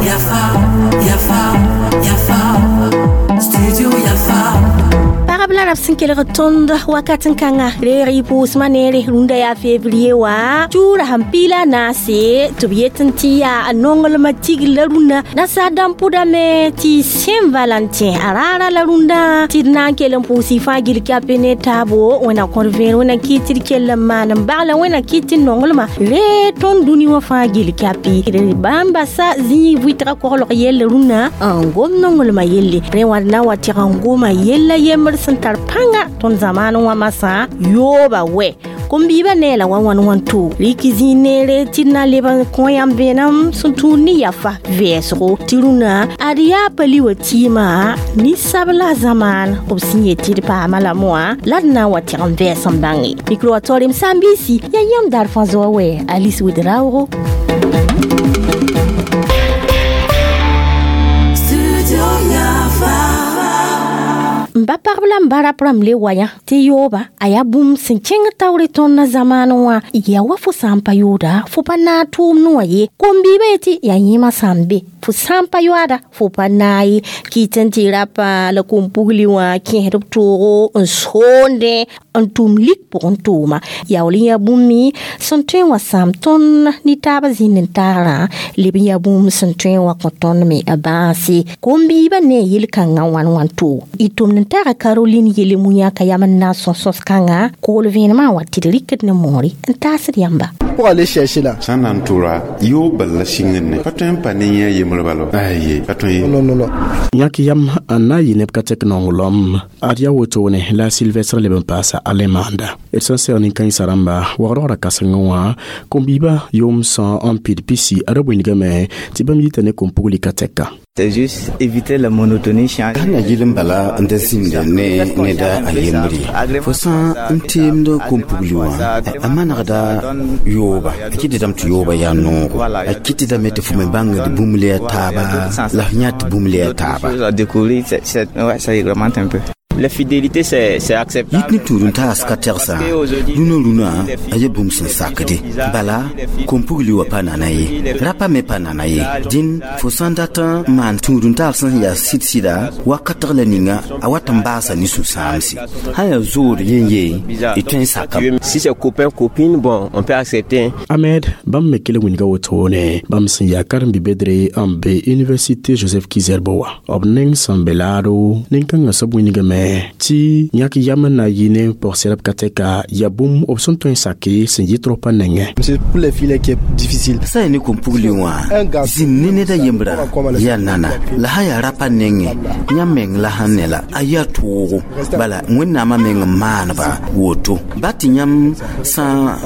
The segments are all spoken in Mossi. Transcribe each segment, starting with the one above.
Yafa, Yafa, Yafa, Studio Yafa. Pagb la rab sẽn kelg tõnd wakat n kãnga reeg y pʋʋsmã neere rũndã yaa fevrier wã tuura sẽn piila a naase tɩ b yet n tɩ yaa nonglmã tigr la rũndã nasaar dãmb pʋdame tɩ Saint Valentin a raara la rũndã tɩ d na n kell n pʋʋs y fãa gil kape ne taabo wẽna kõr vẽer wẽna kɩ tɩ d kell n maan n bagla wẽna kɩ tɩ nonglmã ree tõnd dũni wã fãa gil kape d bãmba sa zĩig vɩtga koglg yell rũndã n gom nonglmã yelle rẽ wã d na n wa tɩg n goma yella yembr sẽn tar pãnga tõnd zamaan wã masã yooba wɛ kom-biibã nee la wa wãn wãn to rɩk zĩig neere tɩ d na leb n kõ yãmb vẽenem sẽn tũud ne yafa vɛɛsgo tɩ rũnã ad yaa pa li wa tɩɩmã ninsabla zamaan b sẽn yet tɩ d paama lame wã la d na n wa tɩg n vɛɛs n bãnge mikro wa taoorem saam-biisi yaa yãmb daar fãa zoa wɛ Alice Ouedraogo. Studio Yafa. N ba pagb la n ba rap rãmb le wa yã tɩ yooba a yaa bũmb sẽn kẽng taoore tõnd na zamaan wã yaa wa fo sã n pa yooda fo pa naag tʋʋmd wã ye kom-biibã yetɩ yaa yẽmã sã n be fo sã n pa yoaada fo pa naag ye kɩt n tɩ rapa la kom-pugli wã kẽesd b toogo n soondẽ n tʋm lik pʋgẽ tʋʋma yaool n yaa bũmb me sẽn tõe n wa sãam tõnd ne taabã zĩnd n tagrã leb n yaa bũmb sẽn tõe n wa kõ tõnd me a bãase kom-biibã ne yel-kãngã wãn wãn too y tʋmd n taga Caroline yele mu-yã ka yam n na n sõs sõs-kãngã kool vẽenemã n wa tɩ d rɩkd ne moore n taasd yãmba. Pour aller chercher là. Sã n na n tʋra yoog bal la sɩngd ne pa tõe n pa ne yẽ a yembr bala aye pa tõe ye. Non, non, non. Yãk yam n na n yɩ neb ka tɛk nonglem ad yaa wotone la Sylvestre leb n paasa Alemanda d sẽn seg nin-kãensã rãmba wagdgra kãsengẽ wã kom-biibã yʋʋm sã n pid pisi ad b wĩndgame tɩ bãmb yita ne kom-pugli ka tɛka. C'est juste éviter la monotonie. Sãn yɩl n bala n da zĩnda ne neda a yembre fo sã n teemd kom-pugli wã a manegda yooba a kɩtdame tɩ yooba yaa noogo a kɩtdame tɩ fo me bãngd bũmb le a taaba la f yã tɩ bũmb le a taaba. À découvrir, ouais, ça réglemente un peu. La fidélité, c'est acceptable. Yit ne tũud n taas ka tɛgsa rũnã rũnã a ya bũmb sẽn sakde bala kom-pugli wã pa nana ye rapa me pa nana ye dĩn fo sã n dat n maan tũud n taal sẽn yaa sɩd-sɩda wakatg la ninga a wat n baasa ne sũ-sãamse sã yaa zood yen ye y tõe n sakame. Si c'est copain, copine, bon, on peut accepter. Ahmed bãmb me kell n wĩnga wotone bãmb sẽn yaa karen-bi-bedre n be Université Joseph Kizerbo wã b neng sẽn be laado nin-kãngã soab wĩndgame tɩ yãk yam n na yɩ ne pɔg-sɛrb ka tɛka yaa bũmb b sẽn tõe n sake sẽn yɩ tɩ pa nengẽ. C'est pour les filles qui est difficile. Sã yaa ne kom-pugli wã zĩnd ne ned a yembrã yaa nana la sã yaa rapa nengẽ yãmb meng la sẽn ne la a yaa toogo bala wẽnnaamã meng n maaneba woto ba tɩ yãmb sã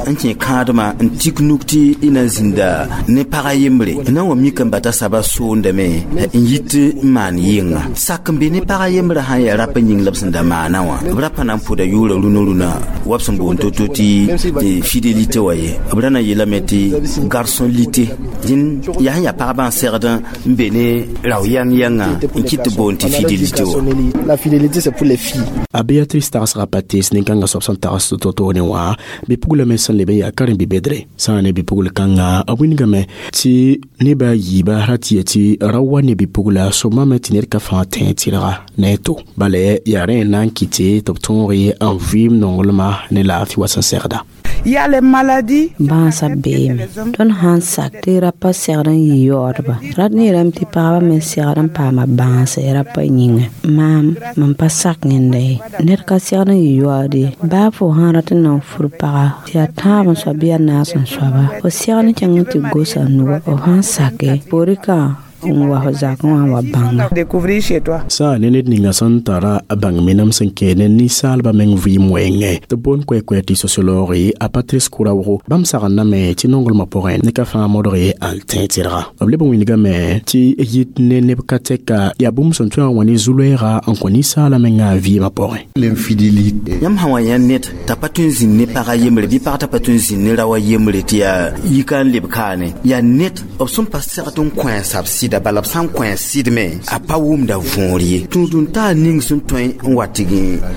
n kẽ kãadmã n tik nuk tɩ y na n zĩnda ne pag a yembre n na n wa mik n bata saba soondame n yit n maan yɩnga sak n be ne pag a yembrã sã n yaa rapa yĩng la b sẽn da maana wã b ra pa na n pʋda yʋʋra rũnã rũnã wa b sẽn boond to-to tɩ fidélité wã ye b ra na n yeelame tɩ garçon lité dĩn yaa sẽn yaa pagba n segd n be ne rao yãng yãnga n kɩt tɩ boond tɩ fidélité wã. La fidélité, c'est pour les filles. A Béatrice tagsga pates nin-kãngã soab sẽn tags to-toone wã bɩ-pugla me sẽn leb n yaa karen-bi-bedre sã n ne bɩ-pugl kãngã b wĩndgame tɩ neba a yiiba ra tɩ ya tɩ ra wa ne bɩ-pugla sõmame tɩ ned ka fãa tẽ tɩrga ne a to bala yaa rẽ n na n kɩte tɩ b tõog n vɩɩm nonglmã ne laafɩ wa sẽn segda. Il y a les maladies. Bãasã beeme tõnd sã n sak tɩ rapa segd n yɩ yaoodba rat neerame tɩ pagba me segd n paama bãase rapa yĩnga maam mam pa sak yẽnda ye ned ka segd n yɩ yaood ye baa fo sã n rat n na n fur paga tɩ yaa tãab n soab bɩ yaa naas n soaba fo segd n kẽng n tɩ gosa nuga f sãn sake poore ka n wa fo zakẽ wã n wa bãnga. Découvrir chez toi. Sã ne ned ninga sẽn tara a bãng menam sẽn kẽe ne ninsaalbã meng vɩɩm wɛɛngẽ tɩ b boond koɛ-koɛ tɩ sociologue a Patrice Kouraogo bãmb sagndame tɩ nonglmã pʋgẽ ne ka fãa modg n tẽ tɩrga b leb n wĩndgame tɩ yit ne neb ka tɛka yaa bũmb sẽn tõe n wa ne zu-loɛɛga n kõ ninsaalã mengã a vɩɩmã pʋgẽ. L'infidélité. Yãmb sã wa yã ned t'a pa tõe n zĩnd ne pag a yembre bɩ pag t'a pa tõe n zĩnd ne rao a yembre tɩ yaa yika n leb kaane yaa ned b sẽn pa segd n kõ a sab sɩda. sɩda bala b sã n kõ a sɩdme a pa wʋmda võor ye. Tũud-n-taar ning sẽn tõe n wa tɩg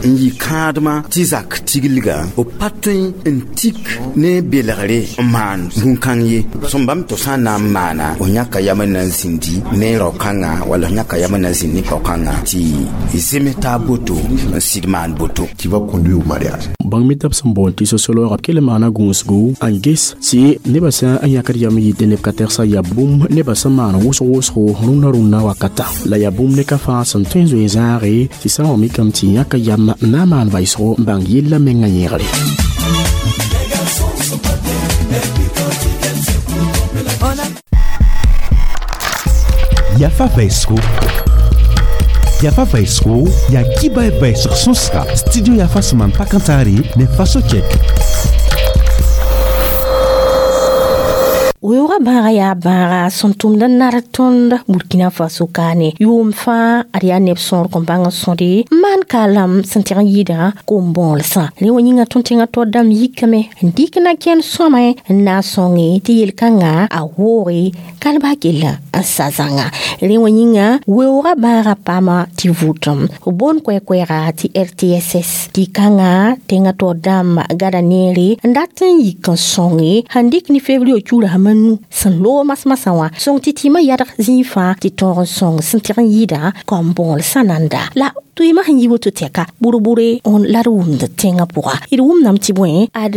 n yɩ kãadmã tɩ zak tiglgã b pa tõe n tik ne belgre n maan bũn-kãng ye. Sẽn bãmb tɩ sã n na n maana f yãka yam n na n zĩndi ne rao-kãngã wala f yãka yam n na n zĩnd ne pao-kãngã tɩ zems taab boto n sɩd maan boto. Qui va conduire au mariage. Bãng mi tɩ b sẽn boond tɩ sociologue b kell n maana gũusgu n ges tɩ nebã sã n yãkd yam yɩtɩ neb ka tɛgsa yaa bũmb nebã sẽn maan wʋsg wʋsgo rũnna rũnnã wakata la yaa bũmb ne ka fãa sẽn tõe n zoe zãage tɩ sã n wa mikame tɩ yãka yam n na n maan vaɩsgo n bãng yellã mengã yẽgre. Yafa vaisgo. Yafa vaisgo ya kiba vaisg sõsga studio Yafa sẽn maan pakãntaare ne faso kɛk. Weoogã bãaga yaa bãaga sẽn tʋmd n nar tõnd Burkina Faso kaane yʋʋm fãa ad yaa neb sõor kõn bãng n sõde n maan kaalam sẽn tɩg n yɩɩdã kom-bõolsã. Rẽ wã yĩnga tõnd tẽngã tod dãmb yikame n dɩk na kẽnd sõame n na n sõnge tɩ yel-kãngã a wooge kalba gella n sa zãnga. Rẽ wã yĩnga weoogã bãaga paama tɩ vʋʋtem b boond koɛ-koɛɛga tɩ RTSS tɩ kãngã tẽngã tod dãmb gada neere n dat n yik n sõnge sẽn dɩk ne fevrier cura sãm nu sẽn loog masmasã wã sõng tɩ tɩɩmã yadg zĩig fãa tɩ tõog n sõng sẽn tɩg n yɩɩda kom-bõolsã nanda la tʋɩɩmã sẽn yi woto tɛka bʋr-bʋre la d wʋmd tẽngã pʋga. D wʋmdame tɩ bõe ad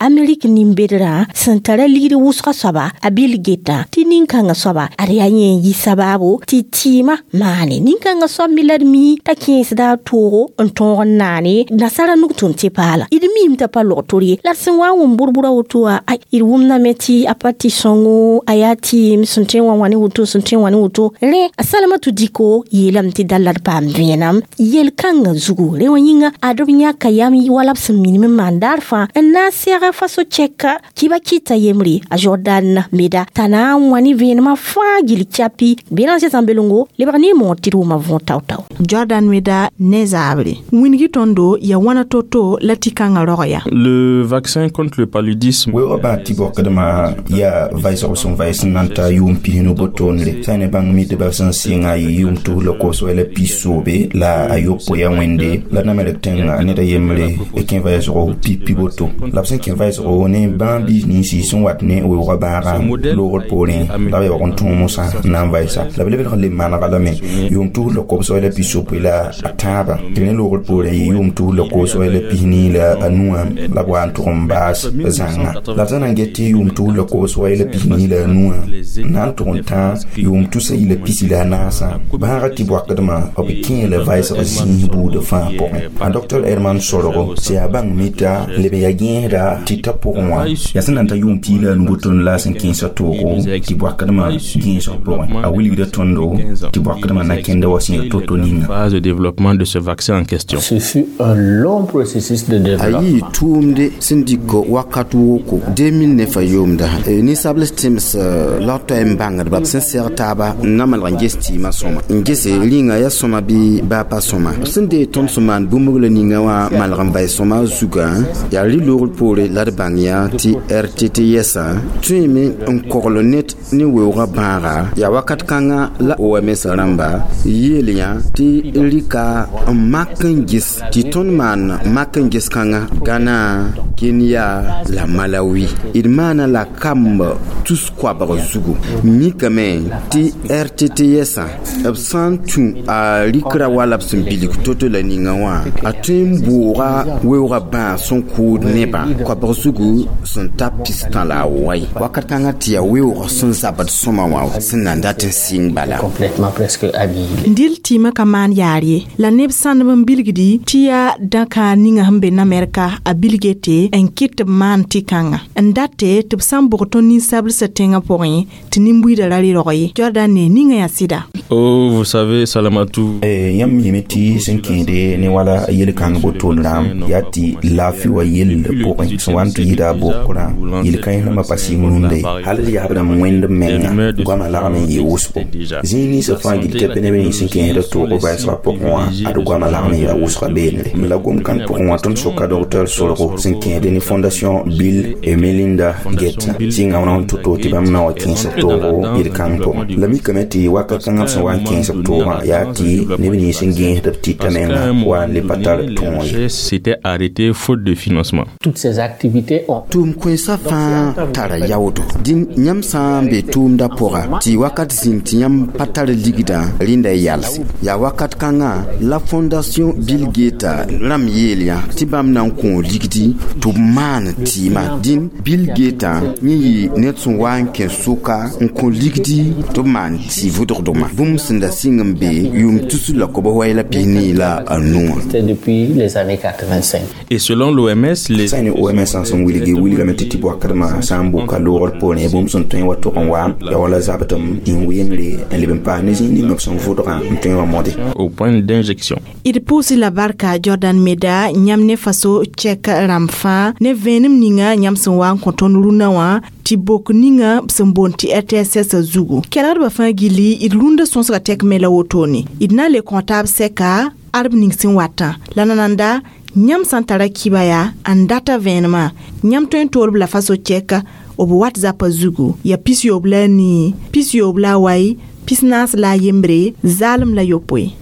Amerik nin-bedrã sẽn tara ligd wʋsga soaba a Bill Gates tɩ nin-kãngã soaba ad yaa yẽ n yɩ sabaabo tɩ tɩɩmã maane. Nin-kãngã soab me la d mi t'a kẽesda a toogo n tõog n naane nasara nug tʋm tɩ paala. D miime t'a pa log tor ye la d sẽn wa n wʋm bʋr-bʋra woto wã ay d wʋmdame tɩ a pa tɩ sõngo a yaa tɩɩm sẽn tõe n wa wã ne woto sẽn tõe n wã ne woto. Rẽ a Salamatu Diko yeelame tɩ dal la d paam vẽenam yel-kãngã zugu. Rẽ wã yĩnga ad b yãka yam wala b sẽn minim n maan daar fãa n na n sɛg faso chɛka kiba kɩta yembre a Jordan Meda t'a na n wã ne vẽenemã fãa gill chapi Béranger Zãmbelongo lebg ne moor tɩ d wʋma võor tao-tao. Jordan Meda ne zaabre wĩngi tõndo ya wãna to-to la tɩ kãngã rog ya. Le vaccin contre le paludisme. Weoogã bãag tɩ bɔkdmã yaa vaɩsg sẽn vaɩs n na n ta yʋʋm pisnu botoonre sã ne bãng mitbã sẽn sɩnga a yɩ yʋʋm tus la kobs la pis soobe la a yopoe ya wẽnde la Namɛrk tẽngã ned a yembre kẽ vaɩsgo pipi boto la b sẽn kẽ vaɩsgo ne bãag biis ninsi sẽn wat ne weoogã bãagã loogr poorẽ la b yaoog n tõog mosã n na n vaɩsa la b lebg n le manega lame yʋʋm tus la kobs la pis sopoe la a tãabã tɩ ne loogr poorẽ yɩ yʋʋm tus la kobs la pis nii la a nuã la b wa n tʋg n baas zãnga la b sã na n get tɩ yʋʋm tus la kobs la pis nii la a nuã n na n tʋg n tã yʋʋm tusa yi la pisi la a naasã bãagã tɩ bɔakdmã b kẽe la vaɩsg zĩis buudã fãa pʋgẽ. A Dr Herman Sorgo sẽn yaa bãng mita leb n yaa gẽesda tɩ ta pʋgẽ wã yaa sẽn na n ta yʋʋm pii la a nu boton la sẽn kẽesã toogo tɩ bɔakdmã gẽesg pʋgẽ. A wilgda tõndo tɩ bɔakdmã na kẽnda wa sẽn yaa to-to ninga. Phase de développement de ce vaccin en question. Ce fut un long processus de A développement. yɩ tʋʋmde sẽn dɩk wakat woko 2009 a yʋʋmda ninsabl tẽms la toa n bãngdba b sẽn sɛg taaba n na malg n ges tɩɩmã sõma n gese rĩnga yaa sõma bɩ baa pa sõma. B sẽn dee tõnd sẽn maan bũmb la ninga wã malg n vaɩ sõma zugã yaa rɩ-loogr poore la d bãng yã tɩ RTTS-ã tõeme n kogl ned ne weoogã bãaga yaa wakat kãngã la OMS rãmba yeel yã tɩ rɩka n mak n ges tɩ tõnd maan mak n ges kãngã Gana, Kenya la Malawi. D maana la kamb tus koabg zugu mikame tɩ RTTS-ã b sã n tũ a rɩkra wala b sẽn bilg to-to la ninga wã a tõe n bʋʋga weoogã bãag sẽn kʋʋd nebã koabg zugu sẽn ta pistã la a wai wakat kãngã tɩ yaa weoog sẽn zabd sõma wã sẽn na n dat n sɩng bala. Complètement presque annihilé. Dɩl tɩɩmã ka maan yaar ye la neb sãndb n bilgdi tɩ yaa dãka ninga sẽn be Namɛrka a Bill Gates n kɩt tɩ b maan tɩ-kãnga n date tɩ b sã n bʋg tõnd ninsablsã tẽngã pʋgẽ tɩ nin-buiidã ra rɩ-rog ye. Jordan ne ninga yaa sɩda. Oh, vous savez, Salamatou. Yãmb miime tɩ sẽn kẽede ne wala yel-kãng botoon rãam yaa tɩ laafɩ wa yell pʋgẽ sẽn wa n tɩ yɩɩda a bokrã yel-kãens rãmbã pa sɩng rũndã ye hal d yaab rãmb wẽnd menga goamã lagm n yɩ wʋsgo zĩig ninsã fãa gil tɩ neb nins sẽn kẽesda toogo vɛɛsgã pʋgẽ wã ad goamã lagm n yaa wʋsga beenre m la gom-kãng pʋgẽ wã tõnd soka docteur sorgo sẽn kẽesd ne fondation Bill et Melinda Gates sɩnga wã n tʋ-to tɩ bãmb na wa kẽes b toogo yel-kãng pʋgẽ la mikame tɩ wakat kãngã b sẽn wa n kẽes b toogã yaa tɩ neb nins sẽn gẽesd b tɩta menga wa n le pa tar tõog ye. S'était arrêté faute de financement. Toutes ces activités ont Tʋʋm kõensã fãa tara yaoodo dĩn yãmb sã n be tʋʋmdã pʋga tɩ wakat zĩng tɩ yãmb pa tar ligdã rẽnda y yalse yaa wakat kãngã la fondation Bill Gates rãmb yeel yã tɩ bãmb na n kõ ligdi tɩ b maan tɩɩmã dĩn Bill Gates yẽ yɩ ned sẽn wa n kẽ sʋka n kõ ligdi tɩ b maan tɩ vʋdgdmã bũmb sẽn da sɩng n be yʋʋm tus la kob wai la pisni la a nuwã. C'était depuis les années 85. Et selon l'OMS, les sã ne OMS sẽn wilgi wilgame tɩ tɩ bɔakdmã sã n boka loogr poorẽ bũmb sẽn tõe n wa tʋg n wa yaa wala zabdem n wengre n leb n paas ne zĩig ning b sẽn vʋdgã n tõe n wa mode. Au point d'injection. D pʋʋsɩ la barka Jordan Meda yãmb ne faso chɛk rãmb fãa ne vẽenem ninga yãmb sẽn wa n kõ tõnd rũnã wã tɩ bok ninga b sẽn boond tɩ RTSS zugu kelgdbã fãa gilli d rũndã sõsga tɛk me la wotone d na n le kõ taab sɛka arb ning sẽn watã la nananda yãmb sã n tara kiba yaa n data vẽenemã yãmb tõe n toolb la faso chɛka b WhatsApp zugu ya 94 68 41 0 6.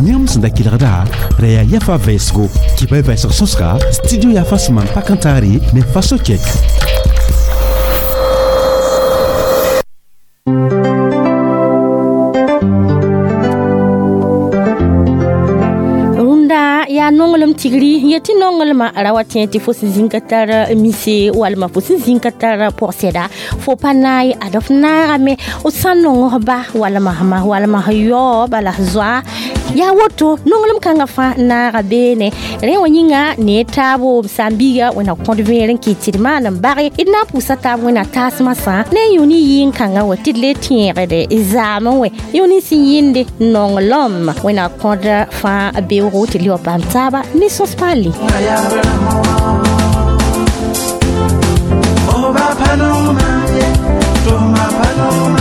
Yãmb sẽn da kelgda ra yaa yafa vɛɛsgo kɩba y vɛɛsg sõsga studio yafa sẽn maan pak n taare ne faso chɛk. Rũndã yaa nonglem tigri n yetɩ nonglmã ra wa tẽ tɩ fo sẽn zĩng ka tar mise walma fo sẽn zĩng ka tar pʋgsɛda fo pa naay ad f naagame f sã n nong f ba walma f ma walma f yao bala f zoa yaa woto nonglem kãngã fãa naaga beene rẽ wã yĩnga ne taabo b sãn-biiga wẽnna kõd vẽer n kɩt tɩ d maan n bage d na n pʋʋsa taab wẽnna taasmã sã ne yũ ne yɩɩn-kãngã wã tɩ d le tẽegde zaamẽ wẽ yũ ne sẽn yɩnde nonglem wẽnna kõd fãa beoogo tɩ d le wa paam taaba ne sõs paale. Oba Paloma, Toma Paloma.